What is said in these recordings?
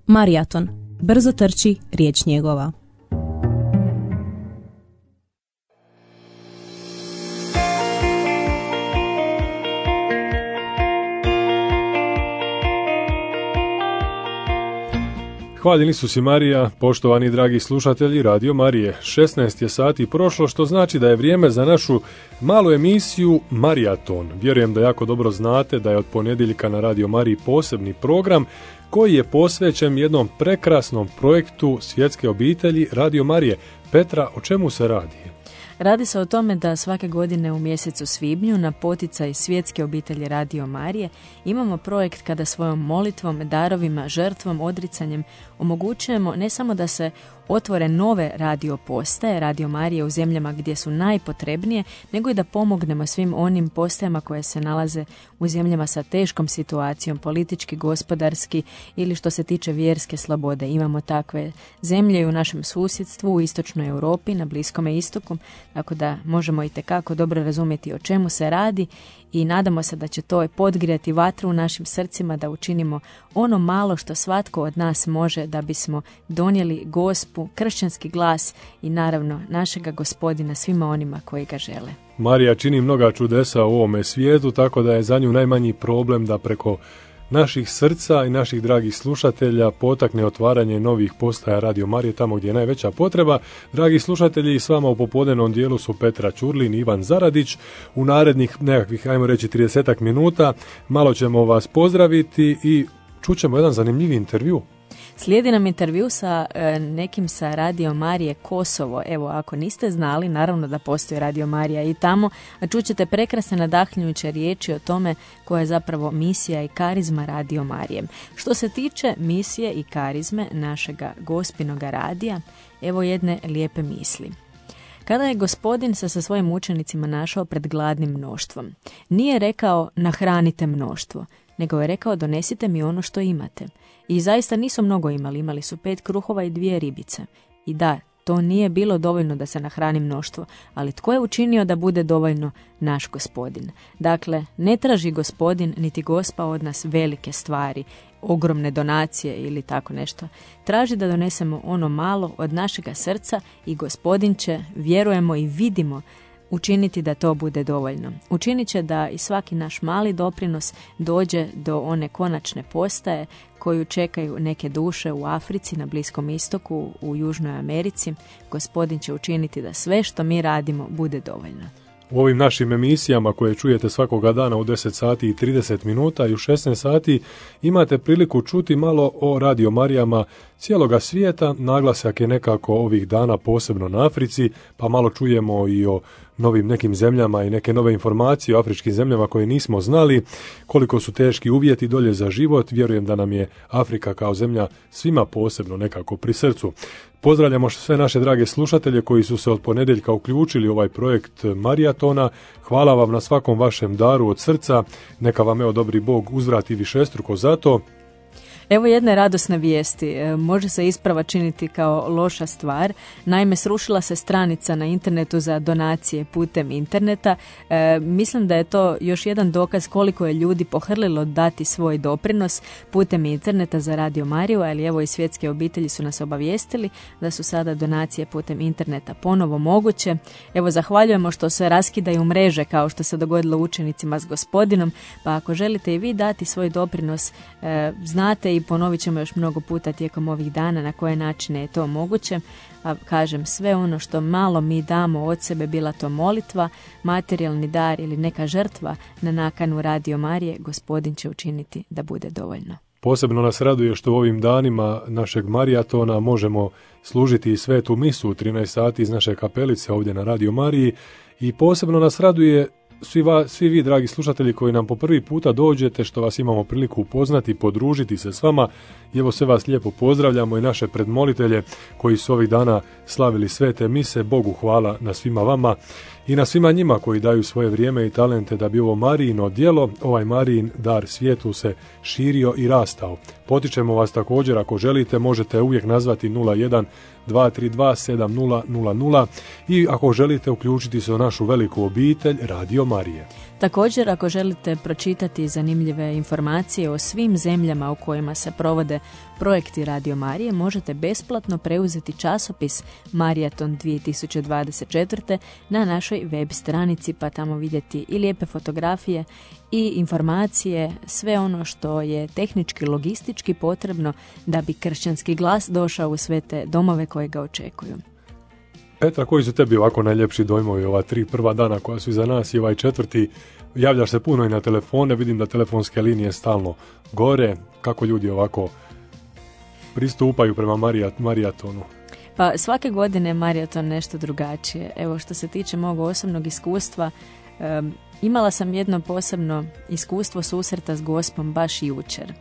Marijaton. Brzo trči, riječ njegova. Hvaljen Isus i Marija, poštovani dragi slušatelji Radio Marije. 16 je sati prošlo, što znači da je vrijeme za našu malu emisiju Marijaton. Vjerujem da jako dobro znate da je od ponedjeljka na Radio Mariji posebni program koji je posvećen jednom prekrasnom projektu svjetske obitelji Radio Marije. Petra, o čemu se radi? Radi se o tome da svake godine u mjesecu svibnju na poticaj svjetske obitelji Radio Marije imamo projekt kada svojom molitvom, darovima, žrtvom, odricanjem omogućujemo ne samo da se otvore nove radio postaje, Radio Marije u zemljama gdje su najpotrebnije, nego i da pomognemo svim onim postajama koje se nalaze u zemljama sa teškom situacijom, politički, gospodarski ili što se tiče vjerske slobode. Imamo takve zemlje i u našem susjedstvu, u istočnoj Europi, na Bliskome istoku, tako da možemo itekako dobro razumjeti o čemu se radi i nadamo se da će to podgrijati vatru u našim srcima, da učinimo ono malo što svatko od nas može da bismo donijeli gospu, kršćanski glas i naravno našega Gospodina svima onima koji ga žele. Marija čini mnoga čudesa u ovome svijetu, tako da je za nju najmanji problem da preko naših srca i naših dragih slušatelja potakne otvaranje novih postaja Radio Marije tamo gdje je najveća potreba. Dragi slušatelji, s vama u popodnevnom dijelu su Petra Ćurlin i Ivan Zaradić. U narednih nekakvih, ajmo reći, 30 minuta malo ćemo vas pozdraviti i čućemo jedan zanimljiv intervju. Slijedi nam intervju sa nekim sa Radio Marije Kosovo. Evo, ako niste znali, naravno da postoji Radio Marija i tamo, a čućete prekrasne nadahnjujuće riječi o tome koja je zapravo misija i karizma Radio Marije. Što se tiče misije i karizme našega Gospinoga radija, evo jedne lijepe misli. Kada je Gospodin se sa svojim učenicima našao pred gladnim mnoštvom, nije rekao nahranite mnoštvo, nego je rekao donesite mi ono što imate. I zaista nisu mnogo imali su 5 kruhova i 2 ribice. I da, to nije bilo dovoljno da se nahrani mnoštvo, ali tko je učinio da bude dovoljno? Naš Gospodin. Dakle, ne traži Gospodin niti Gospa od nas velike stvari, ogromne donacije ili tako nešto. Traži da donesemo ono malo od našega srca i Gospodin će, vjerujemo i vidimo, učiniti da to bude dovoljno. Učinit će da i svaki naš mali doprinos dođe do one konačne postaje koju čekaju neke duše u Africi, na Bliskom istoku, u Južnoj Americi. Gospodin će učiniti da sve što mi radimo bude dovoljno. U ovim našim emisijama koje čujete svakoga dana u 10 sati i 30 minuta i u 16 sati imate priliku čuti malo o Radio Marijama cijeloga svijeta. Naglasak je nekako ovih dana posebno na Africi, pa malo čujemo i o novim nekim zemljama i neke nove informacije o afričkim zemljama koje nismo znali, koliko su teški uvjeti dolje za život. Vjerujem da nam je Afrika kao zemlja svima posebno nekako pri srcu. Pozdravljamo sve naše drage slušatelje koji su se od ponedjeljka uključili u ovaj projekt Marijatona. Hvala vam na svakom vašem daru od srca. Neka vam dobri Bog uzvrati višestruko za to. Evo jedne radosne vijesti. Može se isprava činiti kao loša stvar. Naime, srušila se stranica na internetu za donacije putem interneta. Mislim da je to još jedan dokaz koliko je ljudi pohrlilo dati svoj doprinos putem interneta za Radio Mariju, ali evo i svjetske obitelji su nas obavijestili da su sada donacije putem interneta ponovo moguće. Evo, zahvaljujemo što se raskidaju mreže kao što se dogodilo učenicima s Gospodinom, pa ako želite i vi dati svoj doprinos, znate i ponovit ćemo još mnogo puta tijekom ovih dana na koje načine je to moguće. A kažem, sve ono što malo mi damo od sebe, bila to molitva, materijalni dar ili neka žrtva na nakanu Radio Marije, Gospodin će učiniti da bude dovoljno. Posebno nas raduje što u ovim danima našeg Marijatona možemo služiti i svetu misu u 13 sati iz naše kapelice ovdje na Radio Mariji i posebno nas raduje svi vi, dragi slušatelji, koji nam po prvi puta dođete, što vas imamo priliku upoznati, podružiti se s vama. I evo, sve vas lijepo pozdravljamo i naše predmolitelje koji su ovih dana slavili svete mise. Bogu hvala na svima vama i na svima njima koji daju svoje vrijeme i talente da bi ovo Marijino djelo, ovaj Marijin dar svijetu se širio i rastao. Potičemo vas također, ako želite, možete uvijek nazvati 01 232 7000 i ako želite uključiti se u našu veliku obitelj Radio Marije. Također, ako želite pročitati zanimljive informacije o svim zemljama u kojima se provode projekti Radio Marije, možete besplatno preuzeti časopis Marijaton 2024. na našoj web stranici, pa tamo vidjeti i lijepe fotografije i informacije, sve ono što je tehnički, logistički potrebno da bi kršćanski glas došao u sve te domove koje ga očekuju. Petra, koji su tebi ovako najljepši dojmovi ova 3 prva dana koja su iza nas i ovaj 4. Javljaš se puno i na telefone, vidim da telefonske linije stalno gore. Kako ljudi ovako pristupaju prema Marijatonu? Pa svake godine je Marijaton nešto drugačije. Evo, što se tiče mog osobnog iskustva, imala sam jedno posebno iskustvo susreta s Gospom baš jučer.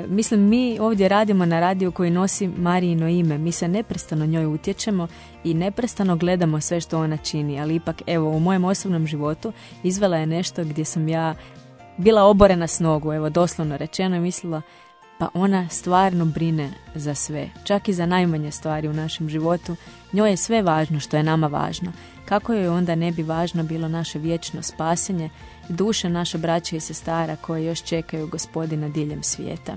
Mislim, mi ovdje radimo na radiju koji nosi Marijino ime. Mi se neprestano njoj utječemo i neprestano gledamo sve što ona čini. Ali ipak, evo, u mojem osobnom životu izvela je nešto gdje sam ja bila oborena s nogu, evo, doslovno rečeno, i mislila, pa ona stvarno brine za sve. Čak i za najmanje stvari u našem životu. Njoj je sve važno što je nama važno. Kako joj onda ne bi važno bilo naše vječno spasenje, duše naše braće i sestara koje još čekaju Gospodina diljem svijeta.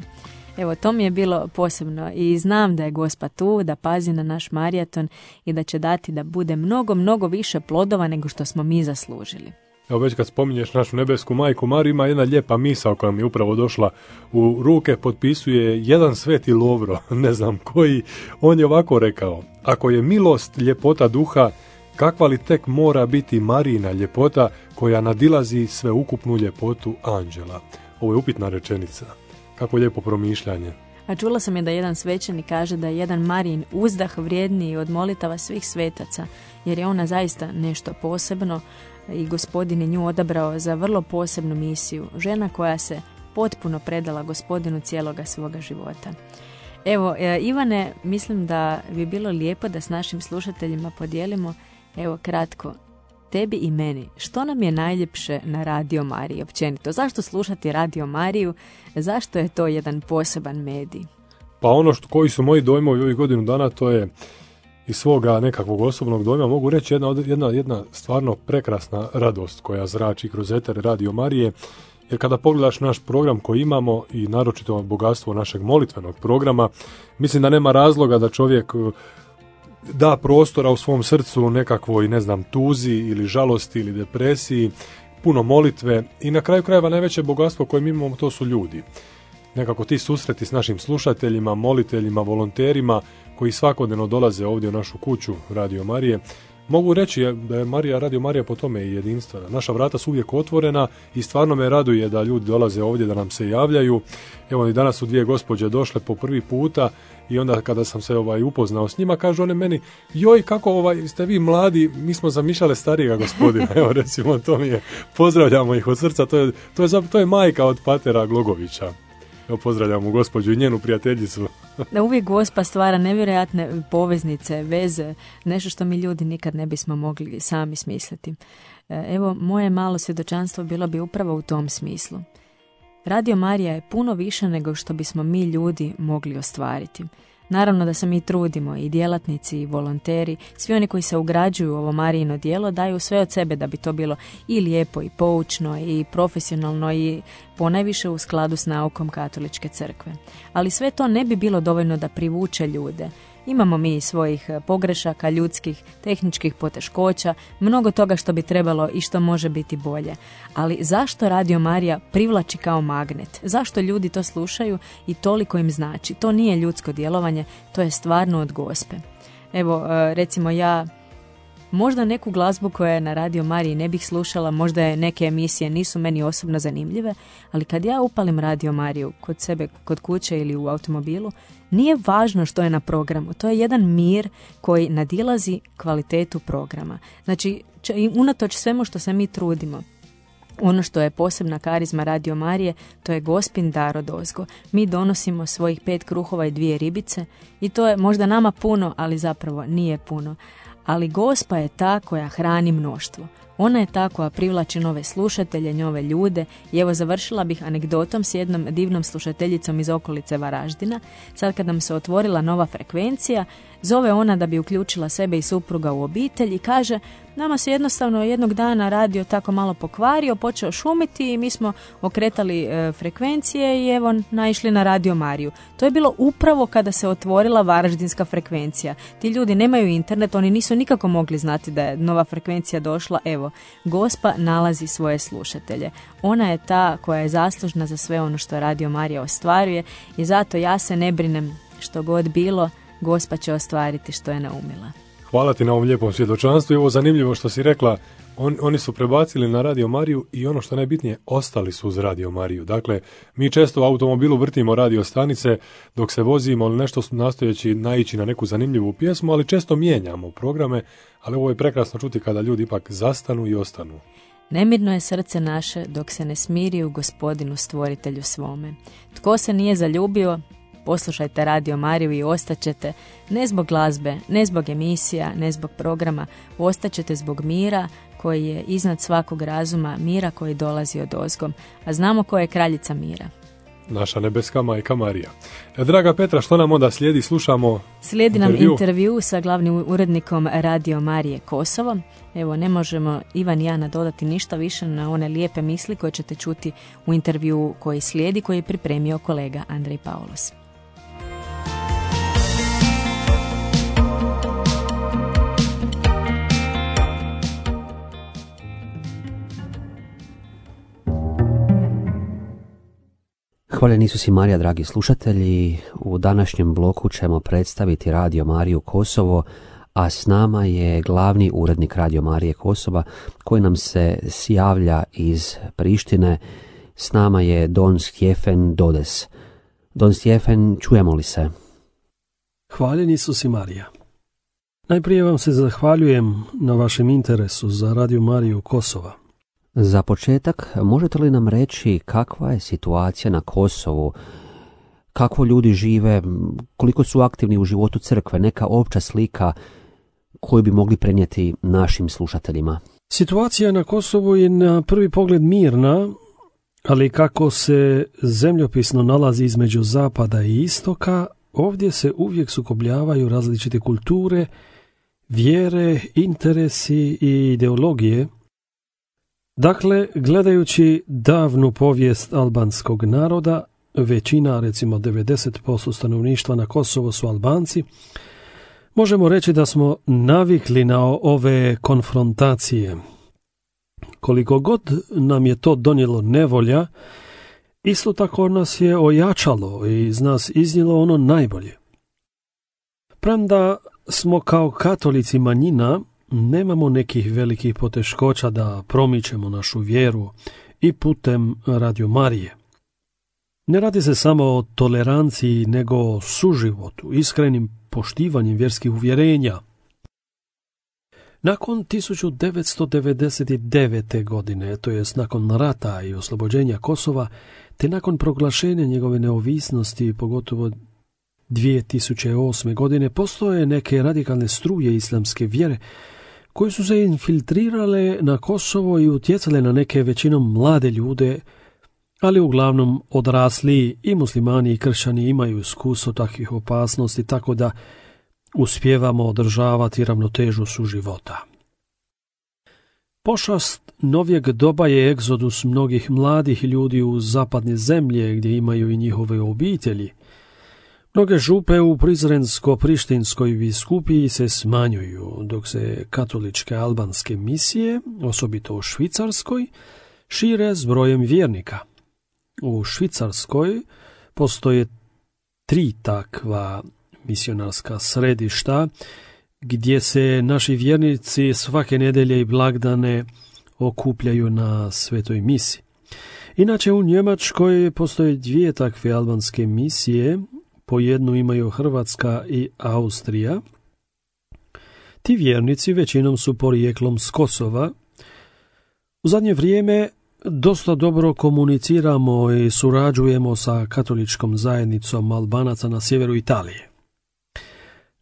Evo, to mi je bilo posebno i znam da je Gospa tu, da pazi na naš Marijaton i da će dati da bude mnogo, mnogo više plodova nego što smo mi zaslužili. Evo, već kad spominješ našu nebesku majku Mariju, ima jedna lijepa misao koja mi je upravo došla u ruke, potpisuje jedan sveti Lovro, ne znam koji, on je ovako rekao: ako je milost ljepota duha, kakva li tek mora biti Marijina ljepota koja nadilazi sveukupnu ljepotu anđela. Ovo je upitna rečenica. Kako lijepo promišljanje. A čula sam je da jedan svećenik kaže da je jedan Marijin uzdah vrijedniji od molitava svih svetaca, jer je ona zaista nešto posebno i Gospodin je nju odabrao za vrlo posebnu misiju. Žena koja se potpuno predala Gospodinu cijeloga svoga života. Evo, Ivane, mislim da bi bilo lijepo da s našim slušateljima podijelimo, evo kratko, tebi i meni, što nam je najljepše na Radio Mariji općenito? Zašto slušati Radio Mariju? Zašto je to jedan poseban medij? Pa ono koji su moji dojmovi ovih godinu dana, to je iz svoga nekakvog osobnog dojma, mogu reći jedna stvarno prekrasna radost koja zrači kroz eter Radio Marije. Jer kada pogledaš naš program koji imamo i naročito bogatstvo našeg molitvenog programa, mislim da nema razloga da čovjek da prostora u svom srcu nekakvoj, ne znam, tuzi ili žalosti ili depresiji, puno molitve i na kraju krajeva najveće bogatstvo koje mi imamo, to su ljudi. Nekako ti susreti s našim slušateljima, moliteljima, volonterima koji svakodnevno dolaze ovdje u našu kuću Radio Marije. Mogu reći da je Radio Marija po tome i jedinstvena. Naša vrata su uvijek otvorena i stvarno me raduje da ljudi dolaze ovdje, da nam se javljaju. Evo i danas su 2 gospođe došle po prvi puta i onda kada sam se upoznao s njima, kažu one meni: joj, kako ste vi mladi, mi smo zamišljale starijega gospodina. Evo, recimo, to mi je, pozdravljamo ih od srca, to je majka od patera Glogovića. Evo, pozdravljamo gospođu i njenu prijateljicu. Da, uvijek Gospa stvara nevjerojatne poveznice, veze, nešto što mi ljudi nikad ne bismo mogli sami smisliti. Evo, moje malo svjedočanstvo bilo bi upravo u tom smislu. Radio Marija je puno više nego što bismo mi ljudi mogli ostvariti. Naravno da se mi trudimo, i djelatnici i volonteri, svi oni koji se ugrađuju u ovo Marijino djelo daju sve od sebe da bi to bilo i lijepo i poučno i profesionalno i ponajviše u skladu s naukom Katoličke crkve. Ali sve to ne bi bilo dovoljno da privuče ljude. Imamo mi svojih pogrešaka, ljudskih, tehničkih poteškoća, mnogo toga što bi trebalo i što može biti bolje. Ali zašto Radio Marija privlači kao magnet? Zašto ljudi to slušaju i toliko im znači? To nije ljudsko djelovanje, to je stvarno od Gospe. Evo, recimo ja možda neku glazbu koja je na Radio Mariji ne bih slušala, možda je neke emisije nisu meni osobno zanimljive, ali kad ja upalim Radio Mariju kod sebe, kod kuće ili u automobilu, nije važno što je na programu. To je jedan mir koji nadilazi kvalitetu programa. Znači, unatoč svemu što se mi trudimo, ono što je posebna karizma Radio Marije, to je Gospin dar odozgo. Mi donosimo svojih 5 kruhova i 2 ribice i to je možda nama puno, ali zapravo nije puno. Ali Gospa je ta koja hrani mnoštvo. Ona je ta koja privlači nove slušatelje, nove ljude i evo završila bih anegdotom s jednom divnom slušateljicom iz okolice Varaždina. Sad kad nam se otvorila nova frekvencija, zove ona da bi uključila sebe i supruga u obitelj i kaže: nama se jednostavno jednog dana radio tako malo pokvario, počeo šumiti i mi smo okretali frekvencije i evo naišli na Radio Mariju. To je bilo upravo kada se otvorila varaždinska frekvencija. Ti ljudi nemaju internet, oni nisu nikako mogli znati da je nova frekvencija došla. Evo, Gospa nalazi svoje slušatelje. Ona je ta koja je zaslužna za sve ono što Radio Marija ostvaruje i zato ja se ne brinem, što god bilo, Gospa će ostvariti što je naumila. Hvala ti na ovom lijepom svjedočanstvu. Ovo zanimljivo što si rekla, oni su prebacili na Radio Mariju i ono što najbitnije, ostali su uz Radio Mariju. Dakle, mi često u automobilu vrtimo radio stanice dok se vozimo ili nešto nastojeći naići na neku zanimljivu pjesmu, ali često mijenjamo programe, ali ovo je prekrasno čuti kada ljudi ipak zastanu i ostanu. Nemirno je srce naše dok se ne smiri u Gospodinu stvoritelju svome. Tko se nije zaljubio, poslušajte Radio Mariju i ostaćete, ne zbog glazbe, ne zbog emisija, ne zbog programa, ostaćete zbog mira koji je iznad svakog razuma, mira koji dolazi od ozgom, a znamo ko je kraljica mira. Naša nebeska majka Marija. Draga Petra, što nam onda slijedi? Slušamo Slijedi nam intervju sa glavnim urednikom Radio Marije Kosovo. Evo, ne možemo Ivan i ja nadodati ništa više na one lijepe misli koje ćete čuti u intervju koji slijedi, koji je pripremio kolega Andrej Paulos. Hvaljen Isus i Marija, dragi slušatelji. U današnjem bloku ćemo predstaviti Radio Mariju Kosovo, a s nama je glavni urednik Radio Marije Kosova koji nam se javlja iz Prištine. S nama je Don Stjefen Dodes. Don Stjefen, čujemo li se? Hvaljen Isus i Marija. Najprije vam se zahvaljujem na vašem interesu za Radio Mariju Kosova. Za početak, možete li nam reći kakva je situacija na Kosovu, kako ljudi žive, koliko su aktivni u životu crkve, neka opća slika koju bi mogli prenijeti našim slušateljima? Situacija na Kosovu je na prvi pogled mirna, ali kako se zemljopisno nalazi između zapada i istoka, ovdje se uvijek sukobljavaju različite kulture, vjere, interesi i ideologije. Dakle, gledajući davnu povijest albanskog naroda, većina, recimo 90% stanovništva na Kosovo su Albanci, možemo reći da smo navikli na ove konfrontacije. Koliko god nam je to donijelo nevolja, isto tako nas je ojačalo i iz nas iznijelo ono najbolje. Premda smo kao katolici manjina, nemamo nekih velikih poteškoća da promičemo našu vjeru i putem Radio Marije. Ne radi se samo o toleranciji, nego o suživotu, iskrenim poštivanjem vjerskih uvjerenja. Nakon 1999. godine, to jest nakon rata i oslobođenja Kosova, te nakon proglašenja njegove neovisnosti, pogotovo 2008. godine, postoje neke radikalne struje islamske vjere koje su se infiltrirale na Kosovo i utjecale na neke većinom mlade ljude, ali uglavnom odrasli i muslimani i kršćani imaju iskustvo takvih opasnosti, tako da uspijevamo održavati ravnotežu suživota. Pošast novijeg doba je egzodus mnogih mladih ljudi u zapadne zemlje gdje imaju i njihove obitelji. Mnoge župe u Prizrensko-Prištinskoj biskupiji se smanjuju, dok se katoličke albanske misije, osobito u Švicarskoj, šire s brojem vjernika. U Švicarskoj postoje 3 takva misionarska središta, gdje se naši vjernici svake nedjelje i blagdane okupljaju na svetoj misi. Inače u Njemačkoj postoje 2 takve albanske misije, po jednu imaju Hrvatska i Austrija. Ti vjernici većinom su porijeklom s Kosova. U zadnje vrijeme dosta dobro komuniciramo i surađujemo sa katoličkom zajednicom Albanaca na sjeveru Italije.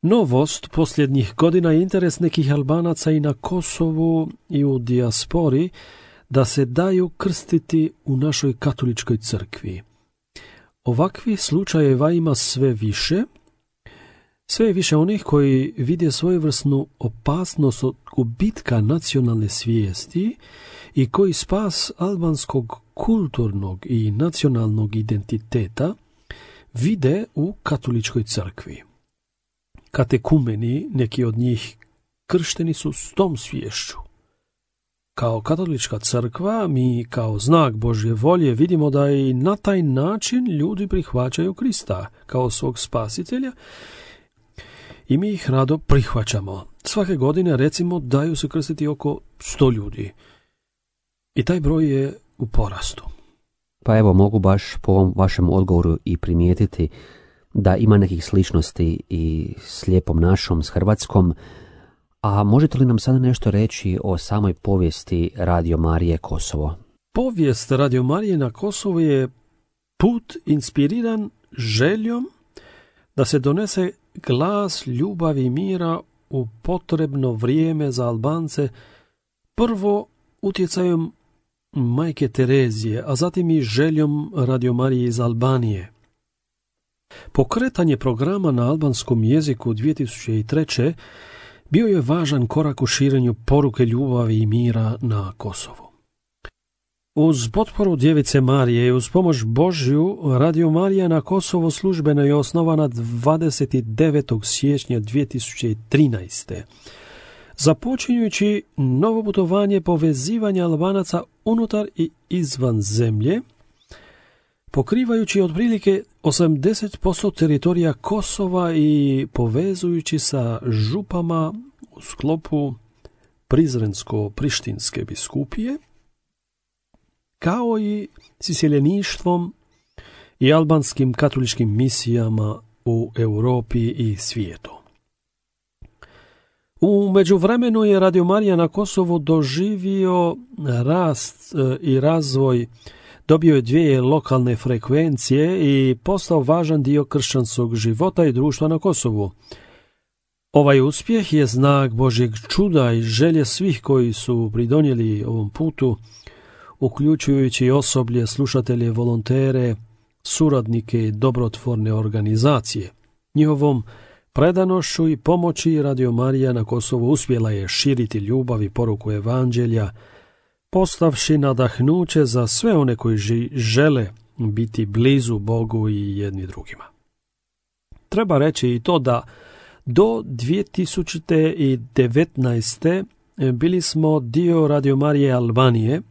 Novost posljednjih godina je interes nekih Albanaca i na Kosovu i u dijaspori da se daju krstiti u našoj katoličkoj crkvi. Ovakvih slučajeva ima sve je više onih koji vide svojevrsnu opasnost od gubitka nacionalne svijesti i koji spas albanskog kulturnog i nacionalnog identiteta vide u katoličkoj crkvi. Katekumeni, neki od njih kršteni su s tom sviješću. Kao katolička crkva, mi kao znak Božje volje vidimo da i na taj način ljudi prihvaćaju Krista kao svog spasitelja i mi ih rado prihvaćamo. Svake godine, recimo, daju se krstiti oko 100 ljudi. I taj broj je u porastu. Pa evo, mogu baš po ovom vašem odgovoru i primijetiti da ima nekih sličnosti i s Lijepom našom, s Hrvatskom. A možete li nam sada nešto reći o samoj povijesti Radio Marije Kosovo? Povijest Radio Marije na Kosovu je put inspiriran željom da se donese glas ljubavi i mira u potrebno vrijeme za Albance, prvo utjecajem majke Terezije, a zatim i željom Radio Marije iz Albanije. Pokretanje programa na albanskom jeziku 2003. bio je važan korak u širenju poruke ljubavi i mira na Kosovu. Uz potporu Djevice Marije i uz pomoć Božju, Radio Marija na Kosovo službeno je osnovana 29. siječnja 2013. Započinjući novo putovanje povezivanja Albanaca unutar i izvan zemlje, pokrivajući otprilike 80% teritorija Kosova i povezujući sa župama u sklopu Prizrensko-Prištinske biskupije, kao i s iseljeništvom i albanskim katoličkim misijama u Europi i svijetu. U međuvremenu je Radio Marija na Kosovu doživio rast i razvoj, dobio je 2 lokalne frekvencije i postao važan dio kršćanskog života i društva na Kosovu. Ovaj uspjeh je znak Božjeg čuda i želje svih koji su pridonijeli ovom putu, uključujući osoblje, slušatelje, volontere, suradnike i dobrotvorne organizacije. Njihovom predanošću i pomoći Radio Marija na Kosovu uspjela je širiti ljubav i poruku evanđelja, postavši nadahnuće za sve one koji žele biti blizu Bogu i jedni drugima. Treba reći i to da do 2019. bili smo dio Radio Marije Albanije.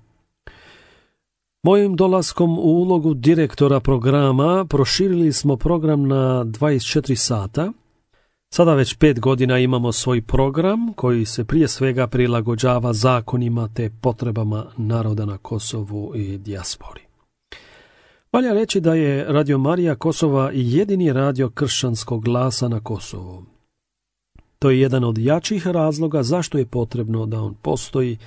Mojim dolaskom u ulogu direktora programa proširili smo program na 24 sata. Sada već 5 godina imamo svoj program koji se prije svega prilagođava zakonima te potrebama naroda na Kosovu i dijaspori. Valja reći da je Radio Marija Kosova jedini radio kršćanskog glasa na Kosovu. To je jedan od jačih razloga zašto je potrebno da on postoji,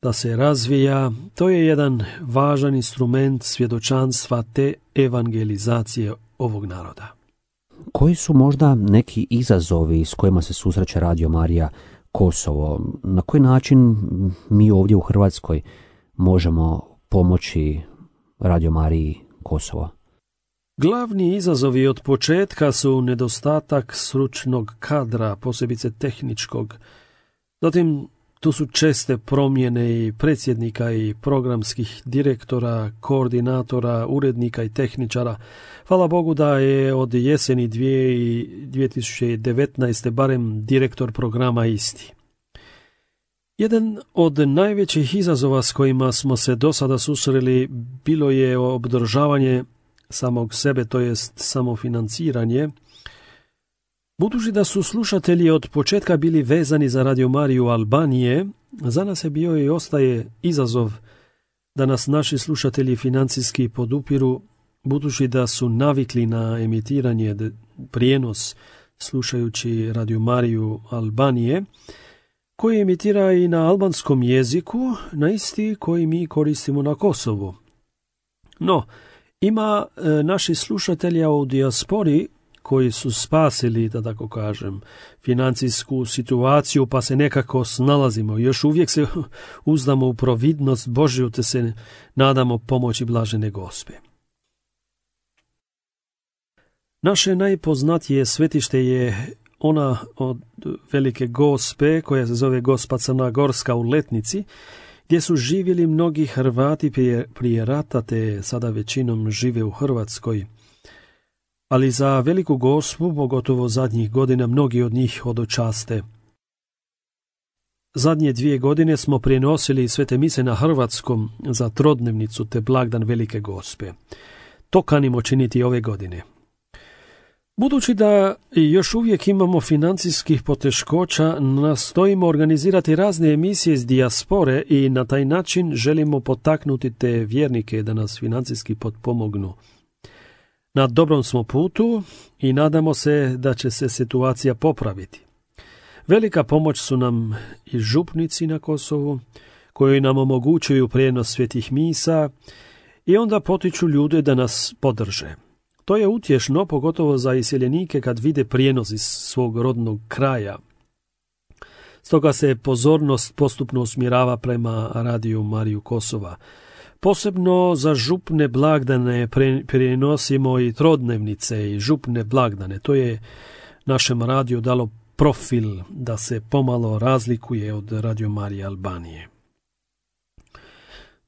da se razvija. To je jedan važan instrument svjedočanstva te evangelizacije ovog naroda. Koji su možda neki izazovi s kojima se susreće Radio Marija Kosovo? Na koji način mi ovdje u Hrvatskoj možemo pomoći Radio Mariji Kosovo? Glavni izazovi od početka su nedostatak stručnog kadra, posebice tehničkog. Zatim tu su česte promjene i predsjednika i programskih direktora, koordinatora, urednika i tehničara. Hvala Bogu da je od jeseni 2019. barem direktor programa isti. Jedan od najvećih izazova s kojima smo se do sada susreli bilo je obdržavanje samog sebe, to jest samofinanciranje. Budući da su slušatelji od početka bili vezani za Radio Mariju Albanije, za nas je bio i ostaje izazov da nas naši slušatelji financijski podupiru, budući da su navikli na emitiranje, prijenos slušajući Radio Mariju Albanije, koji emitira i na albanskom jeziku, na isti koji mi koristimo na Kosovu. No, ima naših slušatelja u dijaspori koji su spasili, da tako kažem, financijsku situaciju, pa se nekako snalazimo. Još uvijek se uzdamo u providnost Božju, te se nadamo pomoći blažene Gospe. Naše najpoznatije svetište je ona od Velike Gospe, koja se zove Gospa Crnogorska u Letnici, gdje su živjeli mnogi Hrvati prije rata, te sada većinom žive u Hrvatskoj. Ali za Veliku Gospu, pogotovo zadnjih godina, mnogi od njih hodočaste. Zadnje 2 godine smo prenosili svete mise na hrvatskom za trodnevnicu te blagdan Velike Gospe. To kanimo činiti ove godine. Budući da još uvijek imamo financijskih poteškoća, nastojimo organizirati razne emisije iz dijaspore i na taj način želimo potaknuti te vjernike da nas financijski potpomognu. Na dobrom smo putu i nadamo se da će se situacija popraviti. Velika pomoć su nam i župnici na Kosovu, koji nam omogućuju prijenos svetih misa i onda potiču ljude da nas podrže. To je utješno, pogotovo za iseljenike kad vide prijenos iz svog rodnog kraja. Stoga se pozornost postupno usmjerava prema Radio Mariju Kosova. Posebno za župne blagdane prenosimo i trodnevnice i župne blagdane. To je našem radiju dalo profil da se pomalo razlikuje od Radio Marije Albanije.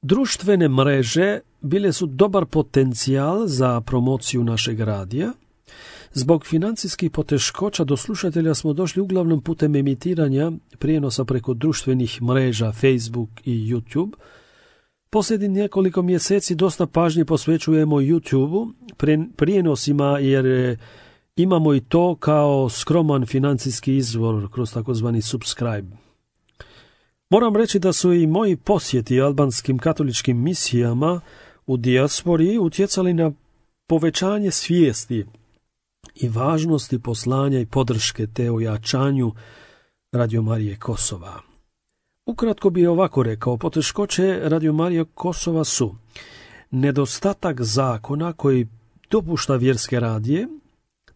Društvene mreže bile su dobar potencijal za promociju našeg radija. Zbog financijskih poteškoća do slušatelja smo došli uglavnom putem emitiranja prijenosa preko društvenih mreža Facebook i YouTube. Posljednjih nekoliko mjeseci dosta pažnje posvećujemo YouTube-u prijenosima jer imamo i to kao skroman financijski izvor kroz takozvani subscribe. Moram reći da su i moji posjeti albanskim katoličkim misijama u dijaspori utjecali na povećanje svijesti i važnosti poslanja i podrške te ojačanju Radio Marije Kosova. Ukratko bi ovako rekao, poteškoće Radio Marije Kosova su nedostatak zakona koji dopušta vjerske radije,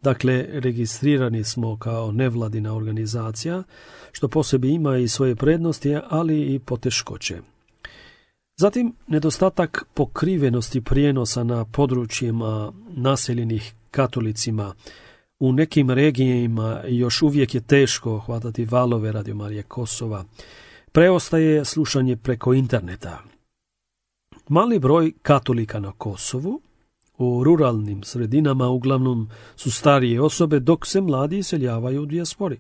dakle registrirani smo kao nevladina organizacija, što po sebi ima i svoje prednosti, ali i poteškoće. Zatim, nedostatak pokrivenosti prijenosa na područjima naseljenih katolicima. U nekim regijima još uvijek je teško hvatati valove Radio Marije Kosova. Preostaje slušanje preko interneta. Mali broj katolika na Kosovu, u ruralnim sredinama uglavnom su starije osobe, dok se mladi iseljavaju u dijaspori.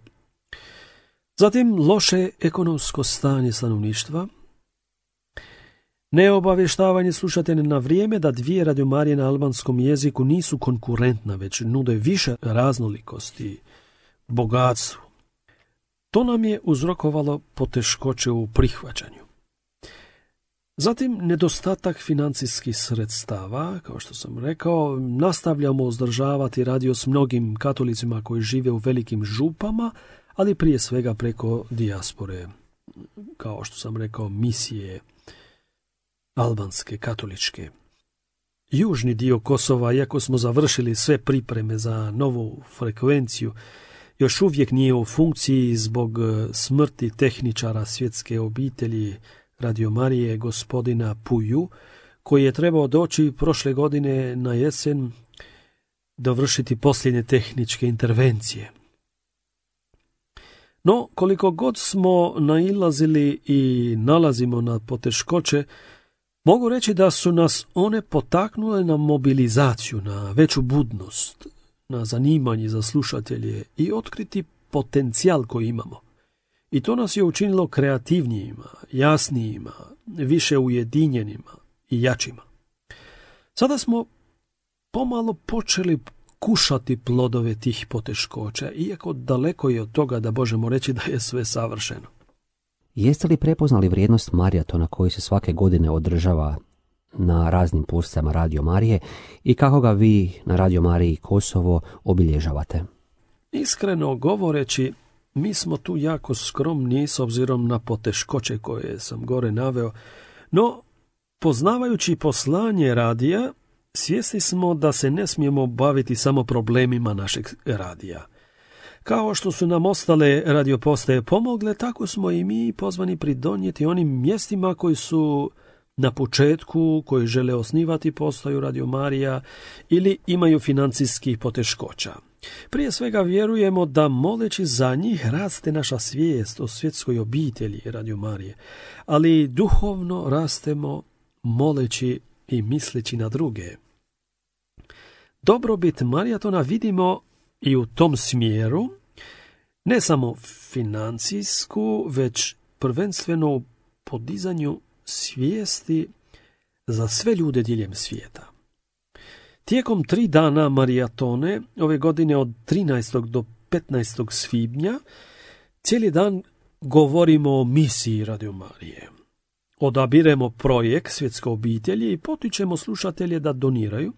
Zatim, loše ekonomsko stanje stanovništva, neobavještavanje slušatelja na vrijeme da 2 Radio Marije na albanskom jeziku nisu konkurentna, već nude više raznolikosti, bogatstvu. To nam je uzrokovalo poteškoće u prihvaćanju. Zatim, nedostatak financijskih sredstava, kao što sam rekao, nastavljamo uzdržavati radio s mnogim katolicima koji žive u velikim župama, ali prije svega preko dijaspore, kao što sam rekao, misije albanske, katoličke. Južni dio Kosova, iako smo završili sve pripreme za novu frekvenciju, još uvijek nije u funkciji zbog smrti tehničara svjetske obitelji Radio Marije gospodina Puju, koji je trebao doći prošle godine na jesen dovršiti posljednje tehničke intervencije. No, koliko god smo nailazili i nalazimo na poteškoće, mogu reći da su nas one potaknule na mobilizaciju, na veću budnost, na zanimanje za slušatelje i otkriti potencijal koji imamo. I to nas je učinilo kreativnijima, jasnijima, više ujedinjenima i jačima. Sada smo pomalo počeli kušati plodove tih poteškoća, iako daleko je od toga da možemo reći da je sve savršeno. Jeste li prepoznali vrijednost maratona koji se svake godine održava na raznim postajama Radio Marije i kako ga vi na Radio Mariji Kosovo obilježavate? Iskreno govoreći, mi smo tu jako skromni s obzirom na poteškoće koje sam gore naveo, no poznavajući poslanje radija svjesni smo da se ne smijemo baviti samo problemima našeg radija. Kao što su nam ostale radiopostaje pomogle, tako smo i mi pozvani pridonijeti onim mjestima koji su na početku, koji žele osnivati postaju Radio Marija ili imaju financijskih poteškoća. Prije svega vjerujemo da moleći za njih raste naša svijest o svjetskoj obitelji Radio Marije, ali duhovno rastemo moleći i misleći na druge. Dobrobit Marijatona vidimo i u tom smjeru, ne samo financijsku, već prvenstveno u podizanju svijesti za sve ljude diljem svijeta. Tijekom 3 dana Marijatone, ove godine od 13. do 15. svibnja, cijeli dan govorimo o misiji Radio Marije. Odabiremo projekt Svjetske obitelji i potičemo slušatelje da doniraju.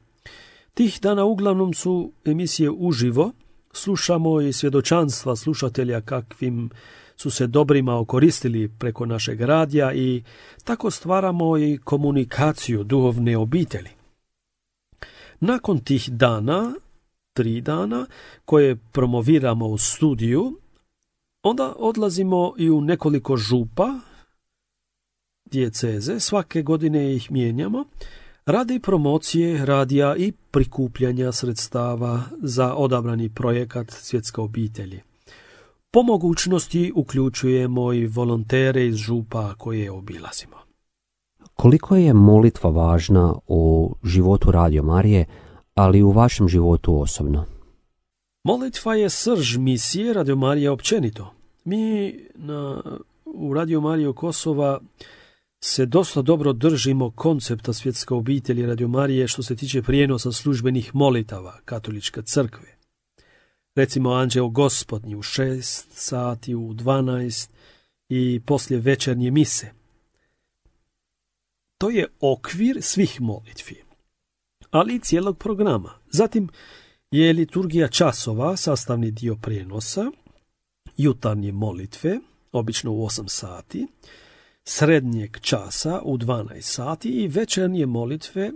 Tih dana uglavnom su emisije uživo, slušamo i svjedočanstva slušatelja kakvim su se dobrima okoristili preko našeg radija i tako stvaramo i komunikaciju duhovne obitelji. Nakon tih dana, 3 dana, koje promoviramo u studiju, onda odlazimo i u nekoliko župa, dijeceze, svake godine ih mijenjamo, radi promocije radija i prikupljanja sredstava za odabrani projekat Svjetske obitelji. Po mogućnosti uključujemo i volontere iz župa koje obilazimo. Koliko je molitva važna u životu Radio Marije, ali i u vašem životu osobno? Molitva je srž misije Radio Marije općenito. Mi u Radio Mariju Kosova se dosta dobro držimo koncepta Svjetske obitelji Radio Marije što se tiče prijenosa službenih molitava Katoličke crkve. Recimo Anđeo Gospodnji u 6 sati, u 12 i poslije večernje mise. To je okvir svih molitvi, ali i cijelog programa. Zatim je liturgija časova sastavni dio prijenosa, jutarnje molitve, obično u 8 sati, srednjeg časa u 12 sati i večernje molitve,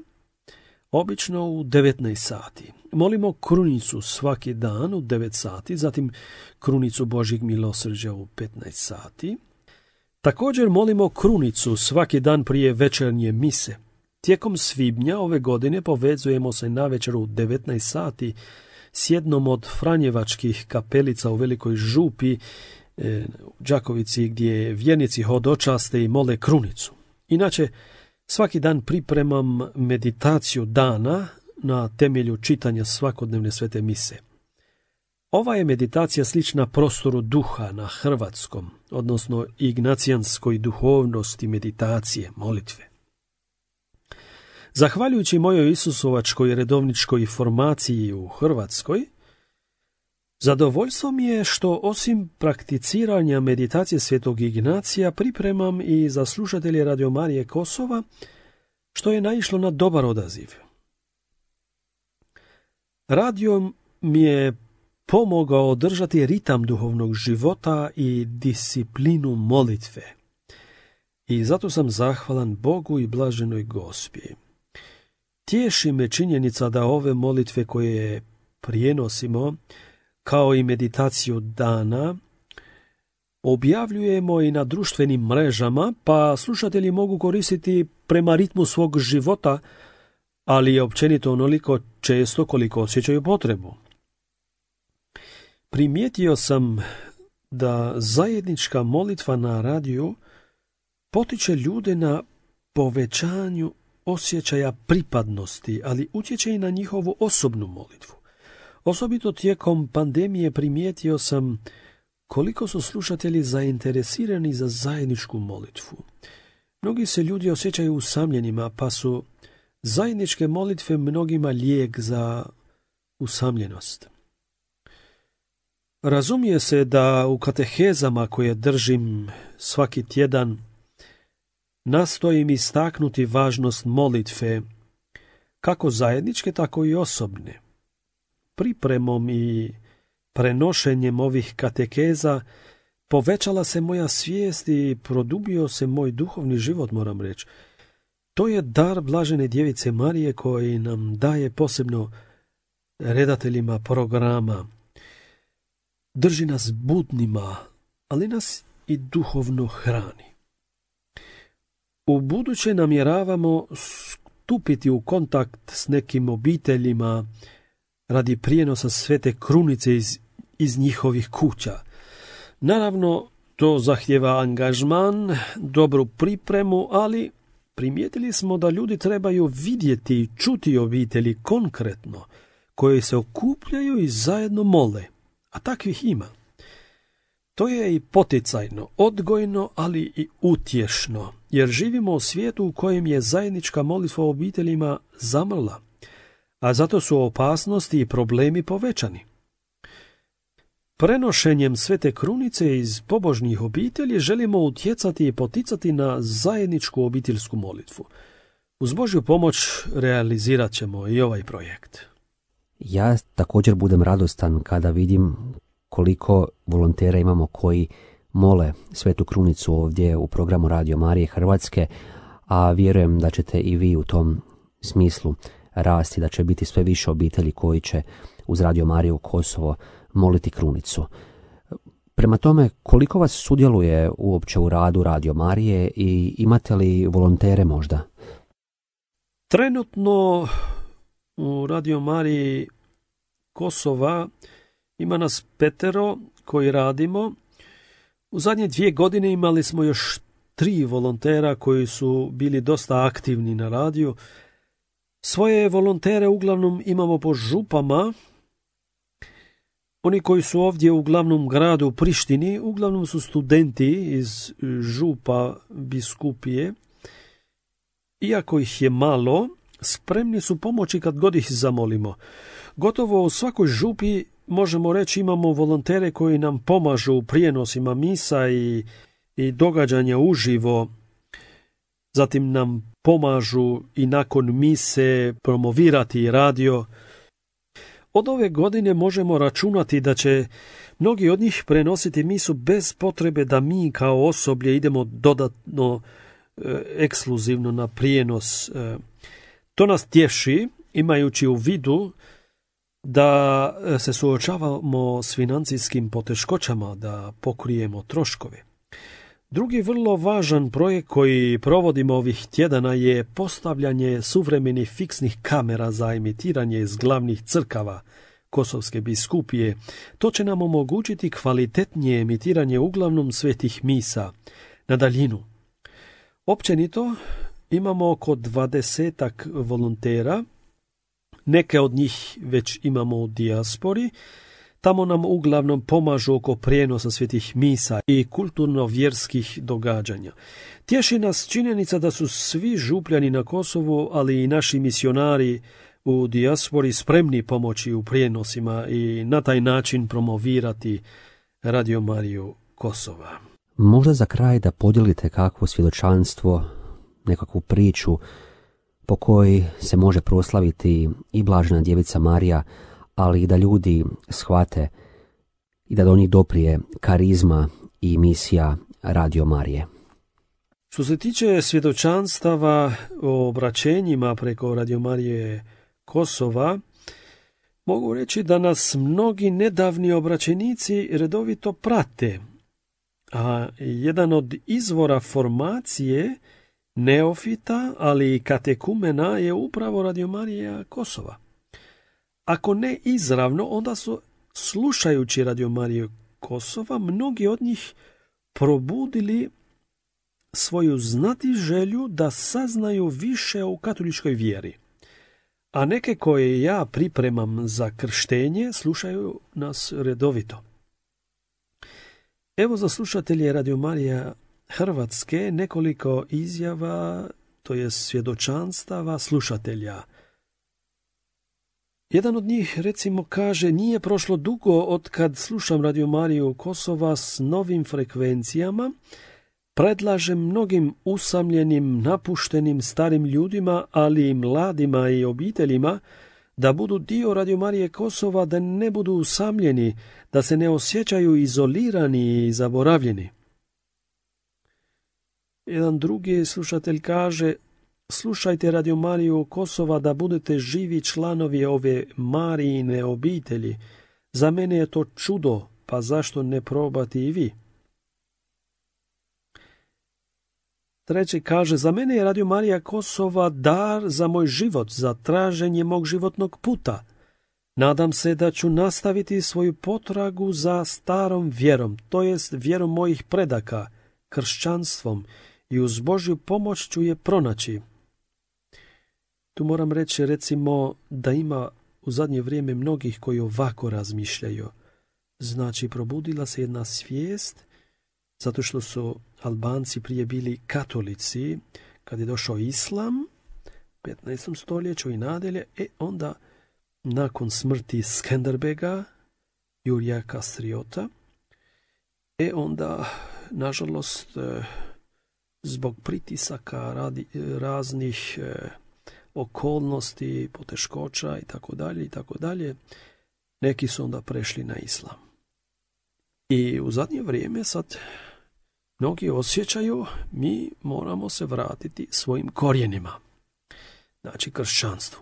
obično u 19 sati. Molimo krunicu svaki dan u 9 sati, zatim krunicu Božjeg milosrđa u 15 sati. Također molimo krunicu svaki dan prije večernje mise. Tijekom svibnja ove godine povezujemo se navečer u 19 sati s jednom od franjevačkih kapelica u Velikoj župi, u Đakovici, gdje vjernici hodočaste i mole krunicu. Inače, svaki dan pripremam meditaciju dana na temelju čitanja svakodnevne svete mise. Ova je meditacija slična prostoru duha na hrvatskom, odnosno ignacijanskoj duhovnosti meditacije, molitve. Zahvaljujući mojoj isusovačkoj redovničkoj formaciji u Hrvatskoj, zadovoljstvo mi je što osim prakticiranja meditacije svetog Ignacija pripremam i za slušatelje Radio Marije Kosova, što je naišlo na dobar odaziv. Radio mi je pomogao održati ritam duhovnog života i disciplinu molitve. I zato sam zahvalan Bogu i blaženoj Gospi. Tješi me činjenica da ove molitve koje prijenosimo, kao i meditaciju dana, objavljujemo i na društvenim mrežama, pa slušatelji mogu koristiti prema ritmu svog života, ali je općenito onoliko često koliko osjećaju potrebu. Primijetio sam da zajednička molitva na radiju potiče ljude na povećanju osjećaja pripadnosti, ali utječe i na njihovu osobnu molitvu. Osobito tijekom pandemije primijetio sam koliko su slušatelji zainteresirani za zajedničku molitvu. Mnogi se ljudi osjećaju usamljenima, pa su zajedničke molitve mnogima lijek za usamljenost. Razumije se da u katehezama koje držim svaki tjedan nastojim istaknuti važnost molitve, kako zajedničke, tako i osobne. Pripremom i prenošenjem ovih katekeza povećala se moja svijest i produbio se moj duhovni život, moram reći. To je dar blažene djevice Marije koji nam daje posebno redateljima programa. Drži nas budnima, ali nas i duhovno hrani. U buduće namjeravamo stupiti u kontakt s nekim obiteljima radi prijenosa Svete Krunice iz njihovih kuća. Naravno, to zahtjeva angažman, dobru pripremu, ali primijetili smo da ljudi trebaju vidjeti i čuti obitelji konkretno, koje se okupljaju i zajedno mole, a takvih ima. To je i poticajno, odgojno, ali i utješno, jer živimo u svijetu u kojem je zajednička molitva o obiteljima zamrla, a zato su opasnosti i problemi povećani. Prenošenjem Svete Krunice iz pobožnih obitelji želimo utjecati i poticati na zajedničku obiteljsku molitvu. Uz Božju pomoć realizirat ćemo i ovaj projekt. Ja također budem radostan kada vidim koliko volontera imamo koji mole Svetu Krunicu ovdje u programu Radio Marije Hrvatske, a vjerujem da ćete i vi u tom smislu rasti, da će biti sve više obitelji koji će uz Radio Mariju Kosovo moliti Krunicu. Prema tome, koliko vas sudjeluje uopće u radu Radio Marije i imate li volontere možda? Trenutno u Radio Mariji Kosova ima nas 5 koji radimo. U zadnje 2 godine imali smo još 3 volontera koji su bili dosta aktivni na radiju. Svoje volontere uglavnom imamo po župama. Oni koji su ovdje u glavnom gradu Prištini uglavnom su studenti iz župa biskupije. Iako ih je malo, spremni su pomoći kad god ih zamolimo. Gotovo u svakoj župi možemo reći imamo volontere koji nam pomažu u prijenosima misa i događanja uživo. Zatim nam pomažu i nakon mise promovirati radio. Od ove godine možemo računati da će mnogi od njih prenositi misu bez potrebe da mi kao osoblje idemo dodatno ekskluzivno na prijenos. To nas tješi, imajući u vidu da se suočavamo s financijskim poteškoćama, da pokrijemo troškove. Drugi vrlo važan projekt koji provodimo ovih tjedana je postavljanje suvremenih fiksnih kamera za emitiranje iz glavnih crkava Kosovske biskupije. To će nam omogućiti kvalitetnije emitiranje uglavnom svetih misa na daljinu. Općenito imamo oko 20 volontera, neke od njih već imamo u dijaspori. Tamo nam uglavnom pomažu oko prijenosa svetih misa i kulturno-vjerskih događanja. Tješi nas činjenica da su svi župljani na Kosovu, ali i naši misionari u dijaspori spremni pomoći u prijenosima i na taj način promovirati Radio Mariju Kosova. Možda za kraj da podijelite kakvo svjedočanstvo, nekakvu priču po kojoj se može proslaviti i blažena djevica Marija, ali i da ljudi shvate i da do njih doprije karizma i misija Radio Marije. Što se tiče svjedočanstava o obraćenjima preko Radio Marije Kosova, mogu reći da nas mnogi nedavni obraćenici redovito prate, a jedan od izvora formacije neofita, ali i katekumena je upravo Radio Marija Kosova. Ako ne izravno, onda su, slušajući Radio Mariju Kosova, mnogi od njih probudili svoju znatiželju da saznaju više o katoličkoj vjeri. A neke koje ja pripremam za krštenje slušaju nas redovito. Evo za slušatelje Radio Marija Hrvatske nekoliko izjava, to je svjedočanstava slušatelja. Jedan od njih recimo kaže: nije prošlo dugo od kad slušam Radio Mariju Kosova s novim frekvencijama, predlažem mnogim usamljenim, napuštenim starim ljudima, ali i mladima i obiteljima, da budu dio Radio Marije Kosova, da ne budu usamljeni, da se ne osjećaju izolirani i zaboravljeni. Jedan drugi slušatelj kaže: slušajte Radio Mariju Kosova da budete živi članovi ove Marijine obitelji. Za mene je to čudo, pa zašto ne probati i vi? Treći kaže, za mene je Radio Marija Kosova dar za moj život, za traženje mog životnog puta. Nadam se da ću nastaviti svoju potragu za starom vjerom, to jest vjerom mojih predaka, kršćanstvom, i uz Božju pomoć ću je pronaći. Tu moram reći, recimo, da ima u zadnje vrijeme mnogih koji ovako razmišljaju. Znači, probudila se jedna svijest, zato što su Albanci prije bili katolici, kad je došao islam, 15. stoljeću i nadalje, onda nakon smrti Skenderbega, Jurija Kastriota, onda, nažalost, zbog pritisaka raznih okolnosti, poteškoća i tako dalje, neki su onda prešli na islam. I u zadnje vrijeme sad mnogi osjećaju, mi moramo se vratiti svojim korijenima, znači kršćanstvu.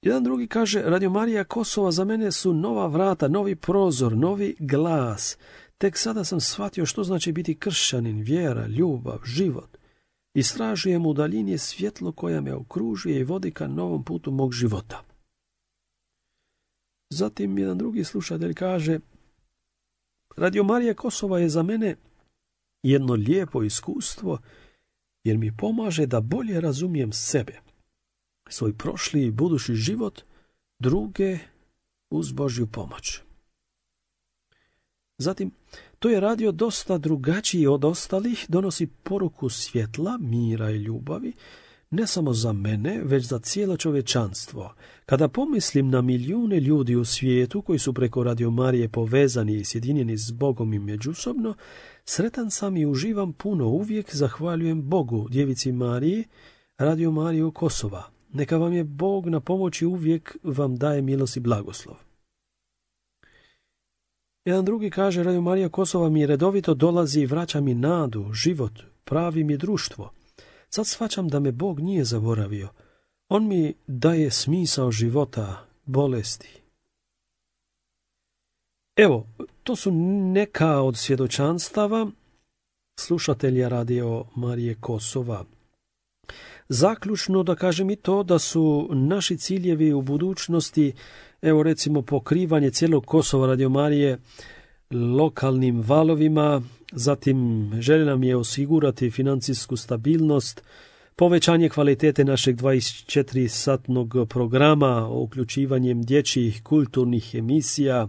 Jedan drugi kaže, Radio Marija Kosova za mene su nova vrata, novi prozor, novi glas. Tek sada sam shvatio što znači biti kršćanin, vjera, ljubav, život. Istražujem u daljini svjetlo koja me okružuje i vodi ka novom putu mog života. Zatim jedan drugi slušatelj kaže, Radio Marija Kosova je za mene jedno lijepo iskustvo jer mi pomaže da bolje razumijem sebe, svoj prošli i budući život, druge uz Božju pomoć. Zatim, to je radio dosta drugačiji od ostalih, donosi poruku svjetla, mira i ljubavi, ne samo za mene, već za cijelo čovječanstvo. Kada pomislim na milijune ljudi u svijetu koji su preko Radio Marije povezani i sjedinjeni s Bogom i međusobno, sretan sam i uživam puno, uvijek zahvaljujem Bogu, Djevici Mariji, Radio Mariju Kosova. Neka vam je Bog na pomoći, uvijek vam daje milost i blagoslov. Jedan drugi kaže, Radio Marija Kosova mi redovito dolazi i vraća mi nadu, život, pravi mi društvo. Sad shvaćam da me Bog nije zaboravio. On mi daje smisao života, bolesti. Evo, to su neka od svjedočanstava slušatelja Radio Marije Kosova. Zaključno da kažem i to da su naši ciljevi u budućnosti, evo recimo pokrivanje cijelog Kosova Radio Marije lokalnim valovima, zatim želja nam je osigurati financijsku stabilnost, povećanje kvalitete našeg 24-satnog programa, uključivanjem dječjih kulturnih emisija.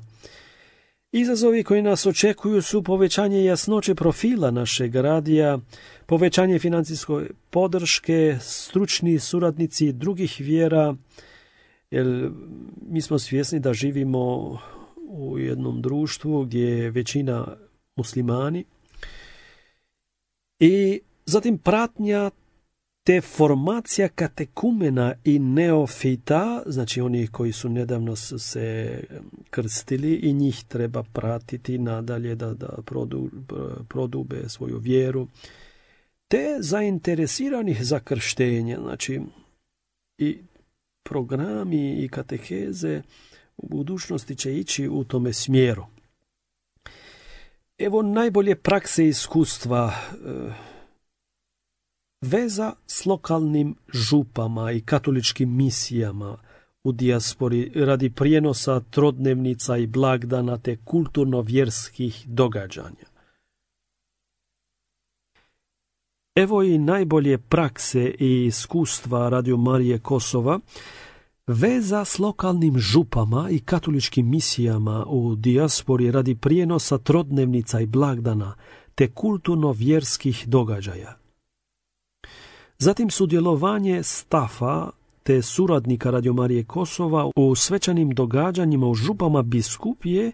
Izazovi koji nas očekuju su povećanje jasnoće profila našeg radija, povećanje financijske podrške, stručni suradnici drugih vjera, jer mi smo svjesni da živimo u jednom društvu gdje je većina muslimani. I zatim pratnja te formacija katekumena i neofita, znači onih koji su nedavno se krstili i njih treba pratiti nadalje da prodube svoju vjeru, te zainteresiranih za krštenje, znači i programi i kateheze u budućnosti će ići u tome smjeru. Evo najbolje prakse i iskustva. Veza s lokalnim župama i katoličkim misijama u dijaspori radi prijenosa trodnevnica i blagdana te kulturno-vjerskih događanja. Evo i najbolje prakse i iskustva Radio Marije Kosova. Veza s lokalnim župama i katoličkim misijama u dijaspori radi prijenosa trodnevnica i blagdana te kulturno-vjerskih događaja. Zatim sudjelovanje stafa te suradnika Radio Marije Kosova u svečanim događanjima u župama biskupije,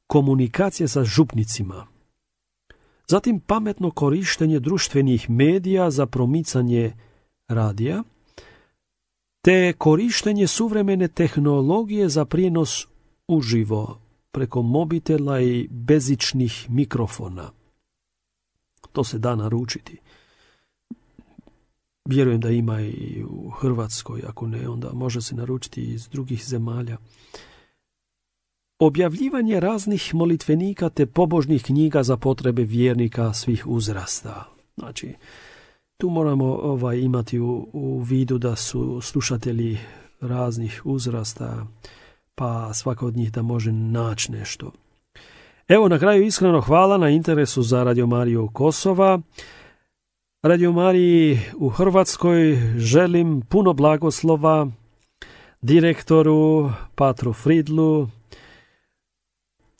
komunikacije sa župnicima. Zatim pametno korištenje društvenih medija za promicanje radija, te korištenje suvremene tehnologije za prijenos uživo preko mobitela i bezičnih mikrofona. To se da naručiti. Vjerujem da ima i u Hrvatskoj, ako ne, onda može se naručiti iz drugih zemalja. Objavljivanje raznih molitvenika te pobožnih knjiga za potrebe vjernika svih uzrasta. Znači, tu moramo imati u vidu da su slušatelji raznih uzrasta, pa svaka od njih da može naći nešto. Evo, na kraju iskreno hvala na interesu za Radio Mariju Kosova. Radio Mariji u Hrvatskoj želim puno blagoslova, direktoru Patru Fridlu,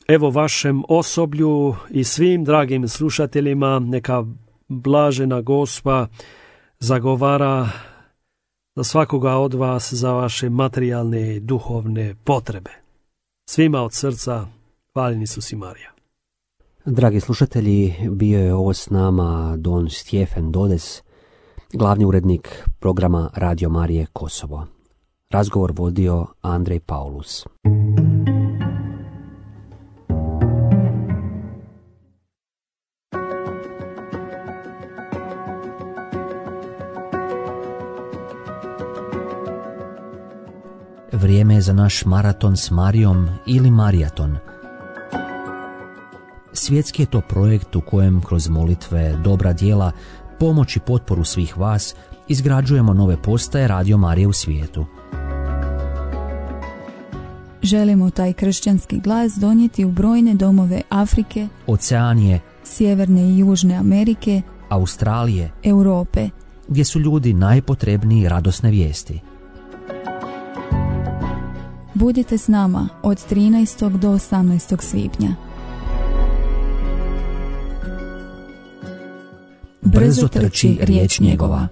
evo vašem osoblju i svim dragim slušateljima, neka blažena Gospa zagovara za svakoga od vas za vaše materijalne i duhovne potrebe. Svima od srca, hvaljeni Isus i Marija. Dragi slušatelji, bio je ovo s nama don Stjefen Dodes, glavni urednik programa Radio Marije Kosovo. Razgovor vodio Andrej Paulus. Vrijeme je za naš maraton s Marijom ili Marijaton. Svjetski je to projekt u kojem kroz molitve, dobra djela, pomoć i potporu svih vas izgrađujemo nove postaje Radio Marije u svijetu. Želimo taj kršćanski glas donijeti u brojne domove Afrike, Oceanije, Sjeverne i Južne Amerike, Australije, Europe, gdje su ljudi najpotrebniji radosne vijesti. Budite s nama od 13. do 18. svibnja. Brzo trči riječ njegova.